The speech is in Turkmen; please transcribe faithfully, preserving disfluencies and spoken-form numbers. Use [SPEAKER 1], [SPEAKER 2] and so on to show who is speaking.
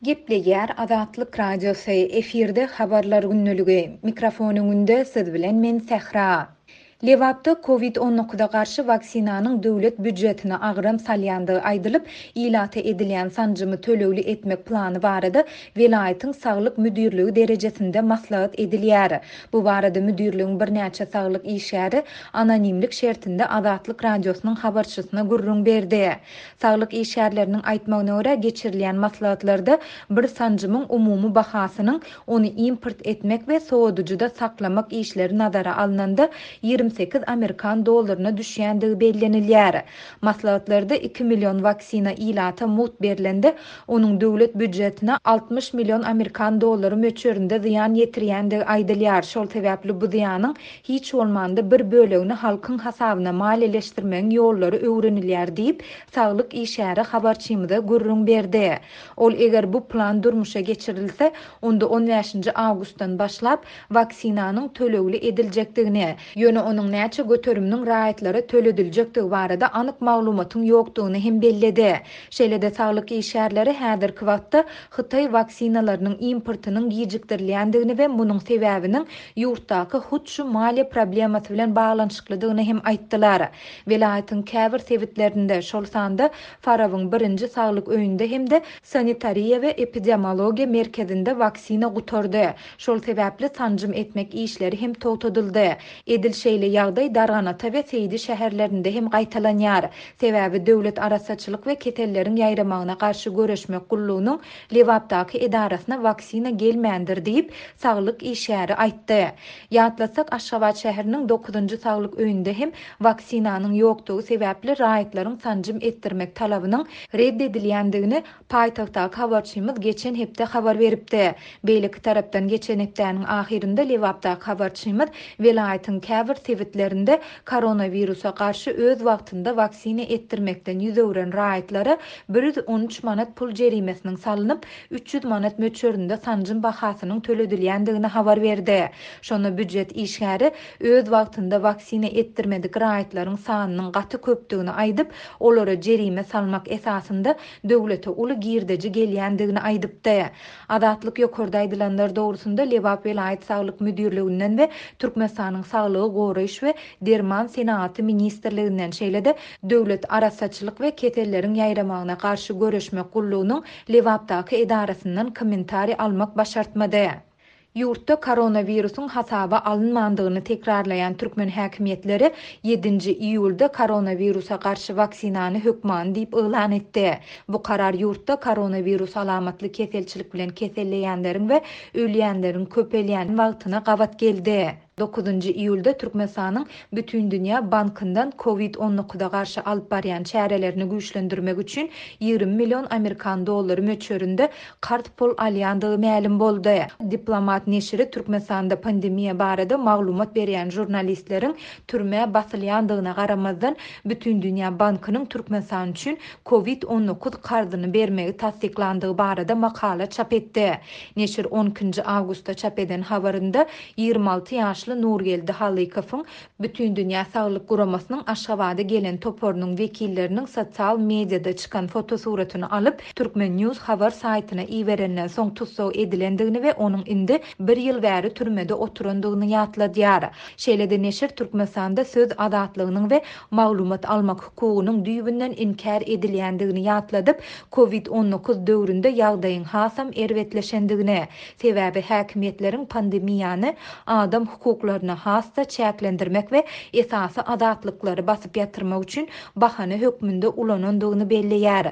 [SPEAKER 1] Gepleýär Azatlyk Radiosy, efirde Habarlar gündeligi. Mikrofon öňünde siz bilen men Sähra. Lebapda Covid on dokuza garşy waksinanyň döwlet býujetine agram salýandygy aýdylyp, ilata edilýän sanjymy tölegli etmek plany barada welaýatyň saglyk müdirligi derejesinde maslahat edilýär. Bu barada müdirligiň birnäçe saglyk işgäri anonimlik şertinde Azatlyk Radiosynyň habarçysyna gürrüň berdi. Saglyk işgärleriniň aýtmagyna görä geçirilýän maslahatlarda bir sanjymyň umumy bahasynyň ony import etmek we sowadyjyda saklamak işleri nazara alnanda ýigrimi sekiz amerikan dollaryna düşýändigi bellenilýär. Maslahatlarda iki million waksina ilata mugt berlende, onuň döwlet býujetine altmyş million amerikan dollary möçberinde zyýan ýetirýändigi aýdylýar. Şol sebäpli bu zyýanyň hiç bolmanda bir bölegini halkyň hasabyna maliýeleşdirmegiň ýollary öwrenilýär diýip, saglyk işgäri habarçymyza gürrüň berdi. Ol eger bu plan durmuşa geçirilse, onda on bäşinji awgustdan başlap waksinanyň tölegli ediljekdigini, ýöne onuň näçe göteriminiň raýatlara tölediljekdigi barada anyk maglumatyň ýokdugyny hem belledi. Şeýle-de saglyk işgärleri häzirki wagtda Hytaý waksinalarynyň importynyň gijikdirilýändigini we munuň sebäbiniň ýurtdaky hut şu maliýe problemasy bilen baglanyşyklydygyny hem aýtdylar. Welaýatyň käbir sebitlerinde, şol sanda Farabyň birinji saglyk öýünde hem-de sanitariýa we epidemiologiýa merkezinde waksina gutardy. Şol sebäpli sanjym etmek işleri hem togtadyldy. Edil şeýle ýagdaý Darganata we Seýdi şäherlerinde hem gaýtalanýar. Sebäbi döwlet arassaçylyk we keselleriň ýaýramagyna garşy göreşmek gullugynyň Lebapdaky edarasyna waksina gelmändir diýip, saglyk işgäri aýtdy. Ýatlasak, Aşgabat şäheriniň dokuzynjy saglyk öýünde hem waksinanyň ýokdugy sebäpli raýatlaryň sanjym etdirmek talabynyň red edilýändigini paýtagtdaky habarçymyz geçen hepde habar beripdi. Beýleki tarapdan geçen hepdäniň ahyrynda Lebapdaky habarçymyz welaýatyň käbir sebitlerinde koronawirusa garşy öz wagtynda waksina etdirmekden ýüz öwren raýatlara bir ýüz on üç manat pul jerimesiniň salynyp, üç ýüz manat möçberinde sanjym bahasynyň töledilýändigini habar berdi. Şonda býujet işgäri öz wagtynda waksina etdirmedik raýatlaryň sanynyň gaty köpdügini aýdyp, olara jerime salmak esasynda döwlete uly girdeji gelýändigini aýdypdy. Azatlyk ýokarda aýdylanlar dogrusynda Lebap welaýat saglyk müdirliginden we Türkmenistanyň Saglygy goraýyş we Derman senagaty ministrliginden, şeýle-de Döwlet arassaçylyk we keselleriň ýaýramagyna garşy göreşmek gullugynyň Lebapdaky edarasyndan kommentariý almak başartmady. Ýurtda koronawirusyň hasaba alynmandygyny tekrarlaýan türkmen häkimiýetleri ýedinji iýulda koronawirusa garşy waksinany hökmany diýip yglan etdi. Bu karar ýurtda koronawirus alamatly keselçilik bilen keselleýänleriň we ölýänleriň köpelýän wagtyna gabat geldi. Dokuzynjy iýulda Türkmenistanyň Bütindünýä Bankyndan Covid on dokuza garşy alyp barýan çärelerini güýçlendirmek üçin ýigrimi million amerikan dollary möçberinde karz pul alýandygy mälim boldy. Diplomat neşiri Türkmenistanda pandemiýa barada maglumat berýän žurnalistleriň türmä basylýandygyna garamazdan Bütindünýä Bankynyň Türkmenistan üçin Covid on dokuz karzyny bermegi tassyklandygy barada makala çap etdi. Neşir on ikinji awgustda çap eden habarynda ýigrimi alty ýaşly Nurgeldi Halykowyň Bütindünýä Saglyk Guramasynyň Aşgabada gelen toparynyň wekilleriniň sosial mediada çykan fotosuratyny alyp, Türkmen News habar saýtyna iberenden soň tussag edilendigini we onuň indi bir ýyl bäri türmede oturandygyny ýatladýar. Şeýle-de neşir Türkmenistanda söz azatlygynyň we maglumat almak hukugynyň düýbünden inkär edilýändigini ýatladyp, Covid on dokuz döwründe ýagdaýyň hasam erbetleşendigini, sebäbi häkimiýetleriň pandemiýany adam hukuklaryny has-da çäklendirmek we esasy azatlyklary basyp ýatyrmak üçin bahana hökmünde ulanandygyny belleýär.